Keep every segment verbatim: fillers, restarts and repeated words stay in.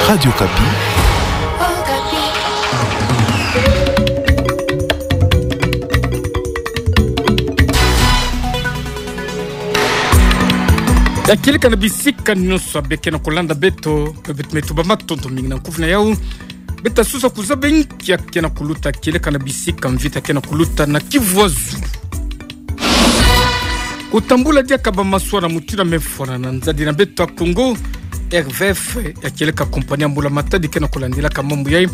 Radio Okapi. Ya kieleka na bisika nyonso abe ke na kolanda beto, beto me tubama matondo mingi na nkufi na yau. Beto ta sosa kuzaba nkia ke na kuluta kieleka na bisika mvita ke na kuluta na Kivu Azulu. Kutambula diaka bamaswa na mutindu mefwana na nzadi na beto ya Kongo, R V F, ya kieleka compagnie ya mbula-matadi ke na kolandilaka mambu yai,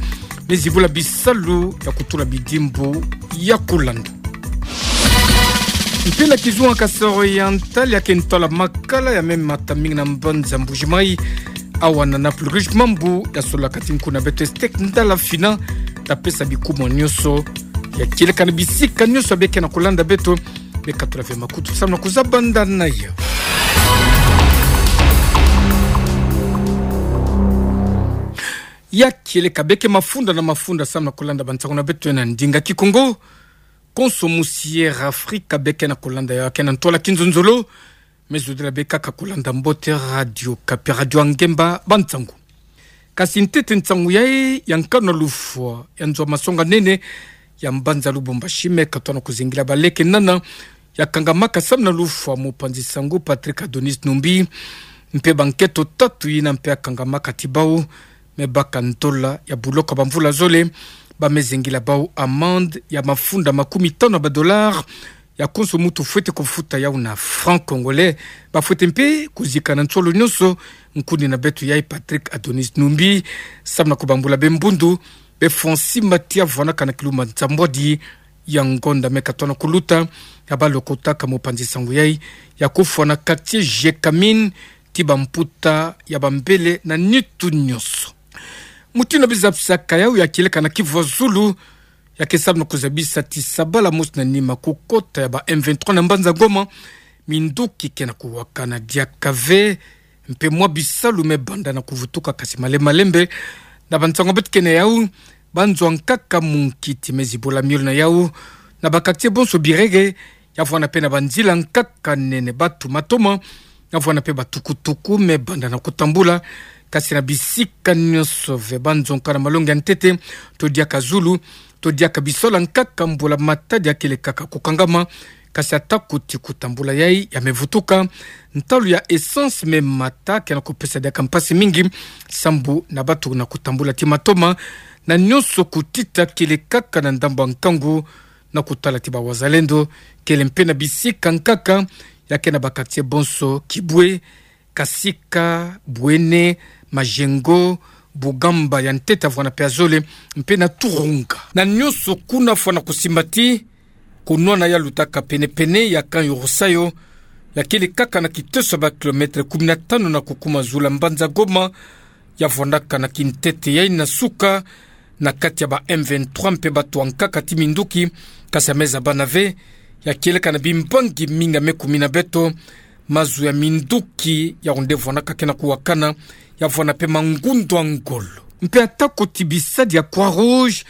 me zibula bisalu ya kutula bidimbu ya kolanda. Mpe na kizunga Kasaï Oriental, ya ke ntwala makala ya me mata mingi na mbanza Mbuji-Mayi, awa na Naples Rouge, mambu ya solaka ti nku na beto Estek Ndala Fina, ta pesa bikumu nyonso ya kieleka na bisika nyonso abe ke na kolanda beto. Me katula ve makutu samu na kuzaba ndani na yau. Ya kieleka, beke mafunda na mafunda samu na kolanda bansangu na beto na ndinga Kikongo. Konso musi Air Africa beke na kolanda yau, ke na ntwala kinzonzolo. Me zodila be kaka kolanda mbote Radio Okapi, radio ya ngemba bansangu. Kasi ntete nsangu yai ya nkanu na lufwa ya nzo masonga nene ya mbanza Lubumbashi me katona kuzingila baleke nana ya kangamaka samu na lufwa mopanzi sango Patrick Adonis Numbi, mpe bankento tatu yina mpe ya kangamaka ti bau, me baka ndola ya buloko bamvula zole, ba me zingila bau amende ya mafunda makumi tanu ya badollars, ya konso mutu fwete kufuta yau na franc congolais. Ba fwete mpe kuzika na nsolo nyonso nkuni na beto yai Patrick Adonis Numbi, samu na kubambula be mbundu, be fwa nsimba ti ya vwanaka na kilumba nsambwadi ya ngonda me katona kuluta, ya balokotaka mopanzi sango yai, ya kufwa na quartier Gécamines, ti bamputa ya bambele na nitu nyonso. Mutindu bizapisaka yau ya kieleka na Kivu Azulu, ya ke samu na kuzabisa ti sabala mosi na nima kukota ya ba M vingt-trois na mbanza Goma, minduki ke na kuwakana diaka ve, mpe mwa bisalu me banda na kuvutuka kasi malembe malembe. Na bansangu beto ke na yau, banzo ya nkaka munkiti me zibola miole na yau, na ba quartier bonso Birere, ya vwanda mpe na banzila nkaka nene, batu matoma, ya vwanda mpe batukutuku me banda na kutambula, kasi na bisika nyonso ve banzo nkaka na malongi ya ntete, to diaka zulu, to diaka bisola nkaka mbula-matadi ya kele kaka kukangama, kasi atako ti kutambula yai ya me vutuka, ntalu ya essence me mata ke na kupesa diaka mpasi mingi, sambu na batu na kutambula ti matoma, na nyonso kutita kele kaka na ndambu ya nkangu, na kutala ti ba wazalendo, kele mpe na bisika nkaka, ya ke na ba quartier bonso, Kibwe, Kasika, Bwene, Majengo, Bugamba ya ntete ya vwanda mpe ya zole, mpe na Turunga. Na nyonso kuna fwana kusimba ti, kunwana ya lutaka pene-pene ya Camp Urusayo, ya kele kaka na kiteso ya ba kilomètre kumi na tanu na kukuma zulu ya mbanza Goma, ya vwandaka na kintete yai na suka, na kati ya ba M vingt-trois mpe batu ya nkaka ti minduki, kasi ya me zabana ve, ya kieleka na bimbangi mingi ya me kumi na beto, mazu ya minduki ya onde vwandaka ke na kuwakana, ya vwanda mpe mangundu ya ngolo. Mpe atako ti bisadi ya Croix-Rouge,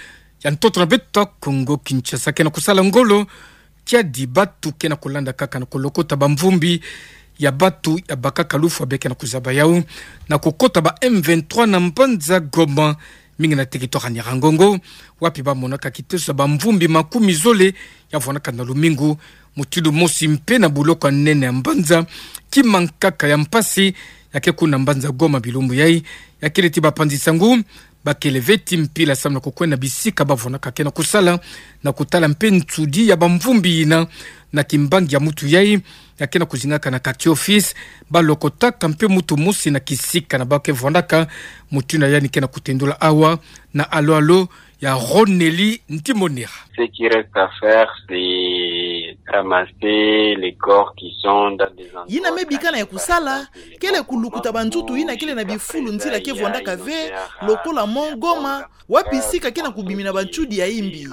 ya ntoto na beto Kongo Kinshasa ke na kusala ngolo, kiadi batu ke na kulanda kaka na kulokota bamvumbi ya batu ya bakaka lufwa be ke na kuzaba yau, na kukota ba M vingt-trois na mbanza Goma, mingi na territoire ya Nyiragongo, wapi ba monaka kiteso ya bamvumbi makumi zole ya vwandaka na lumingu, mutindu mosi mpe na buloko ya nene ya mbanza, kima nkaka ya mpasi, ya ke kuna mbanza Goma bilumbu yai, ya kele ti bapanzi sango, ba kele ve ti mpila samu na kukwenda bisika ba vwandaka ke na kusala, na kutala mpe nsudi ya bamvumbi yina, na kimbangi ya mutu yai, ya ke na kuzingaka na quartier office, ba lokotaka mpe mutu mosi na kisika na ba ke vwandaka, mutindu yandi ke na kutendula awa, na alo-alo, ya Ronelly Ntimonera. Ce qui reste à faire, c'est ramasser les corps qui sont dans des endroits cachés. Yina me bikana ya kusala, kele kulukuta banzutu yina kele na bifulu nzila ke vwandaka ve, lokola Mont Goma, wapi sika ke na kubimina bantsudi ya imbi.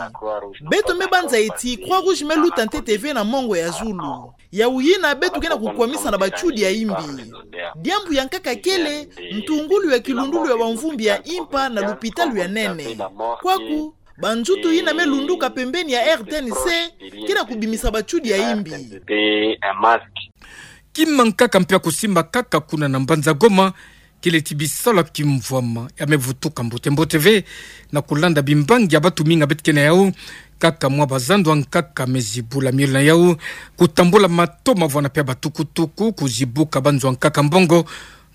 Beto me banza ti Croix-Rouge me luta ntete ve na mongo ya zulu. Yau yina beto ke na kukwamisa na bantsudi ya imbi. Diambu ya nkaka kele, ntungulu ya kilundulu ya bamvumbi ya impa na lupitalu ya nene. Kwaku, banzutu yina me lunduka pembeni ya R T N C, ke na kubimisa bantsudi ya imbi. Kima nkaka mpe ya kusimba kaka kuna na mbanza Goma, Kele ti bisalu ya kimvwama ya me vutuka mbote mbote ve, na kulanda bimbangi ya batuminga beto ke na yau. Kaka mwa bazandu ankaka me zibula miole na yau, kutambula mato mavwanda pe batukutuku, kuzibuka banzo ankaka mbongo,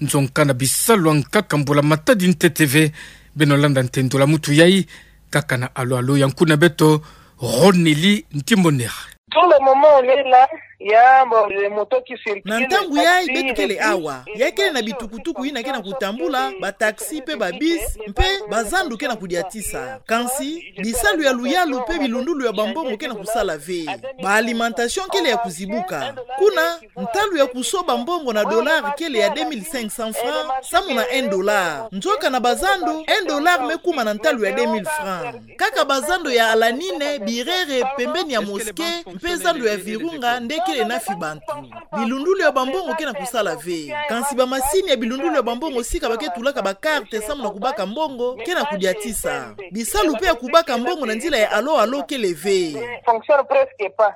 nzo nkana bisalu ankaka mbula matadi ntete ve. Beno landa ntendula mutu yai, kaka na alo alo ya nkuna beto, Ronelly Ntimonera. Tout le moment on est là, il y a, bon, les motos qui circulent, na ntangu yai beto kele awa, ya kele na bitukutuku yina ke na kutambula, ba taxi pe ba bus, mpe bazandu ke na kudiatisa. Kansi bisalu ya luyalu pe bilundulu ya bambongo ke na kusala ve. Ba alimentation kele ya kuzibuka. Kuna, ntalu ya kusoba mbongo na dollar kele ya deux mille cinq cents francs, samu na un dollar. Nzoka na bazandu, un dollar me kuma na ntalu ya deux mille francs. Kaka bazandu ya Alanine, Birere, pembeni ya mosquée, mpe zandu ya Virunga nde kele na fi bantu. Bilundulu ya bambongo ke na kusala ve. Kansi bamasini ya bilundulu ya bambongo sika ba ke tulaka ba carte samu na kubaka mbongo ke na kudiatisa. Bisalu pe ya kubaka mbongo na nzila ya alo alo kele ve. Fonctionne presque pas.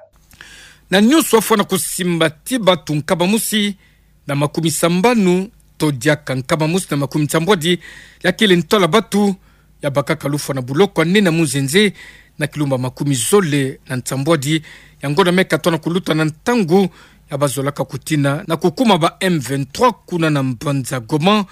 Na nyonso afwana kusimba ti bantu nkama mosi na makumi sambanu, to diaka nkama mosi na makumi nsambwadi, ya kele ntwala bantu ya bakaka lufwa na buloko ya nene ya Munzenze, na kilumbu ya makumi zole na nsambwadi ya ngonda me katona kuluta, na ntangu ya bazolaka kutina na kukuma ba M vingt-trois kuna na mbanza Goma,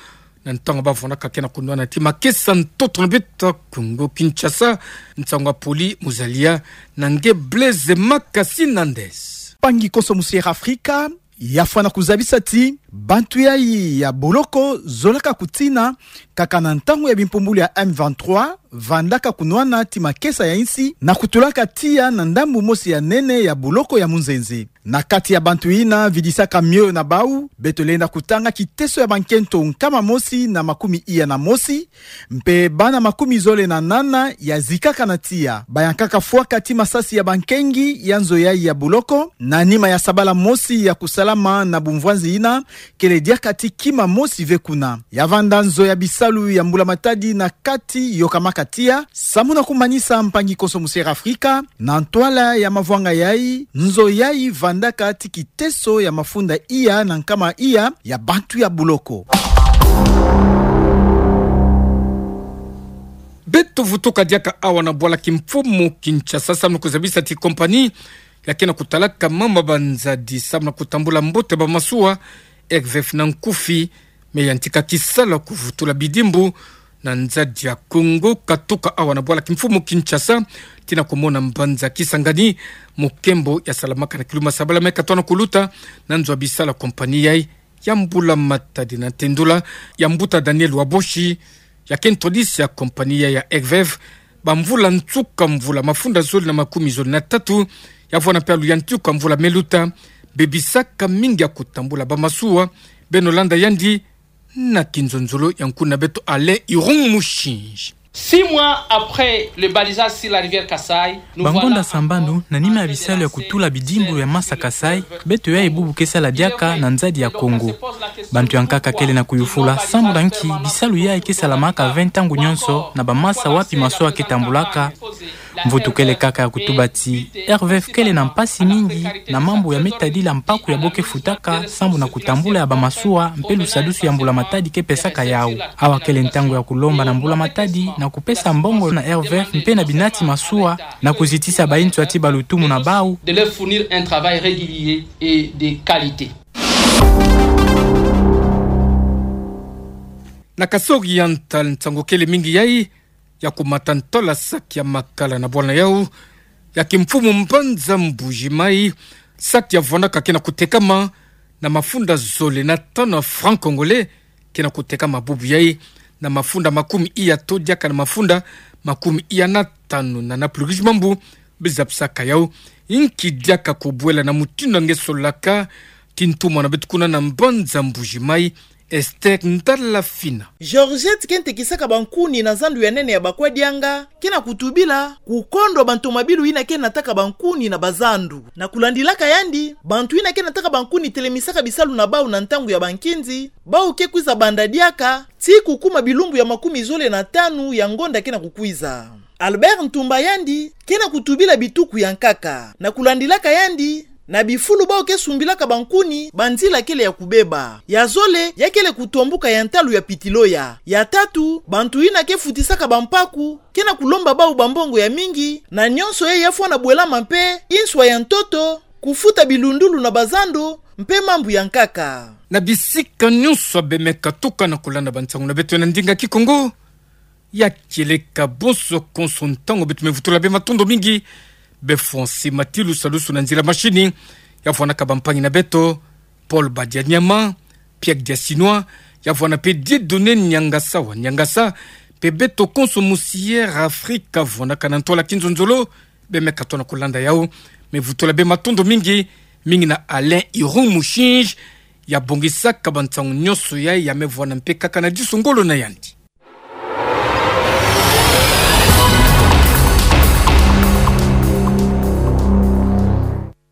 na ntangu bavwandaka ke na kunwana ti makesa ntoto na beto ya Kongo Kinshasa. Nsangu ya Poli Muzalia na nge Blaise Makasi Nandes. Mpangi konso musi Air Afrika, ya fwana kuzabisa ti bantu yai ya boloko zolaka kutina kaka na ntangu ya bimpumbulu ya M vingt-trois, vandaka kunwana ti makesa ya insi na kutulaka tiya na ndambu mosi ya nene ya boloko ya Munzenze. Na kati ya bantu yina vidisaka mioyo na bau, beto lenda kutanga kiteso ya bankento nkama mosi na makumi iya na mosi, mpe bana makumi zole na nana ya zikaka na tiya. Bayankaka fwaka ti masasi ya bankengi ya nzo yai ya boloko, na nima ya sabala mosi ya kusalama na bumvwanzi yina, kele diaka ti kima mosi ve kuna. Ya vanda nzo ya bisalu ya mbula matadi na kati yokamaka tiya, samu na kumanisa, mpangi konso musi Air Afrika, na ntwala ya mavwanga yai, nzo yai vandaka ti kiteso ya mafunda iya na nkama iya ya bantu ya boloko. Beto vutuka diaka awa na bwala kimfumu Kinshasa, samu na kuzabisa ti kompani ya ke na kutalaka mama banzadi samu na kutambula mbote bamasuwa, R V F na nkufi, me yantika kisalu ya kuvutula bidimbu na nzadi ya Kongo, katuka awa na bwala kimfumu Kinshasa, tii na kumona mbanza Kisangani, mukembo ya salamaka na kilumbu ya sabala me katona kuluta, na nzo ya bisalu ya kompani yai ya mbula matadi. Na ntendula ya mbuta Daniel Waboshi, ya ke ntwadisi ya kompani yai ya R V F, bamvula nsuka mvula mafunda zole na makumi zole na tatu, ya vwana mpe alu ya nsuka mvula me luta, bebisaka mingi ya kutambula bamasuwa. Beno landa yandi na kinzonzolo ya nkuna beto Alain Irung Mushinji. Six mois après le balisage sur la rivière Kasaï, nous voilà encore. Bangonda sambanu na nima ya bisalu ya kutula bidimbu ya masa Kasaï, beto yai bubu ke sala diaka na nzadi ya Kongo. Bantu ya nkaka kele na kuyufula sambu na nki bisalu yai ke salamaka ve ntangu nyonso na bamasa wapi masuwa ke tambulaka. Mvutu kele kaka ya kutuba ti R V F kele na mpasi mingi na mambu ya me tadila mpaku ya bo ke futaka sambu na kutambula ya bamasuwa mpe lusadusu ya mbula matadi ke pesaka yau. Awa kele ntangu ya kulomba na mbula matadi na kupesa mbongo na R V F mpe na binati masuwa na kuzitisa banswa ti balutumu na bau. De leur fournir un travail régulier et de qualité. Na Kasaï Oriental, nsangu kele mingi yai ya kumata ntwala saki ya makala na bwala na yau ya kimfumu mbanza Mbuji-Mayi, saki ya vwandaka ke na kutekama na mafunda zole na tanu ya franc congolais, ke na kutekama bubu yai na mafunda makumi iya to diaka na mafunda makumi iya na tanu. Na, na pulukishi mambu biza pisaka yau, inki diaka kubwela na mutindu nge solaka ti ntumwa na beto kuna na mbanza Mbuji-Mayi, Esther Ndalafina. Georgette ke ntekisaka bankuni na zandu ya nene ya Bakwadianga, ke na kutubila kukondwa bantomabilu yina ke nataka bankuni na bazandu. Na kulandilaka yandi, bantu yina ke nataka bankuni telemisaka bisalu na bau na ntangu ya bankinzi, bau ke kwiza banda diaka tii kukuma bilumbu ya makumi zole na tanu ya ngonda ke na kukwiza. Albert Ntumba yandi ke na kutubila bituku ya nkaka. Na kulandilaka yandi, Na bifulu bao ke sumbilaka bankuni, banzila kele ya kubeba. Ya zole, ya kele kutombuka ya ntalu ya pitilo ya. Ya tatu, bantu yina ke futisaka bampaku, ke na kulomba bau bambongo ya mingi, na nyonso yayi ya fwana bwelama mpe, inswa ya ntoto, kufuta bilundulu na bazando, mpe mambu ya nkaka. Na bisika nyonso bemeka tuka na kulanda bansangu na beto na ndinga Kikongo, ya kieleka bonso konso ntangu beto me vutula be matondo mingi, be François Matilu salusu na nzila machine, ya vwanaka bampangi na beto, Paul Badianyama, Pierre Diasinois, ya vwana mpe Dieudonné Niangasa wa Niangasa, mpe beto konso musière Afrika vwanaka na ntwala kinzonzolo, bemeka tona kulanda yau, me vutula be matondo mingi, mingi na Alain Iroux Mouchinge, ya bongisaka bansangu nyonso yayi ya me vwana mpe kaka na disu ngolo na yandi.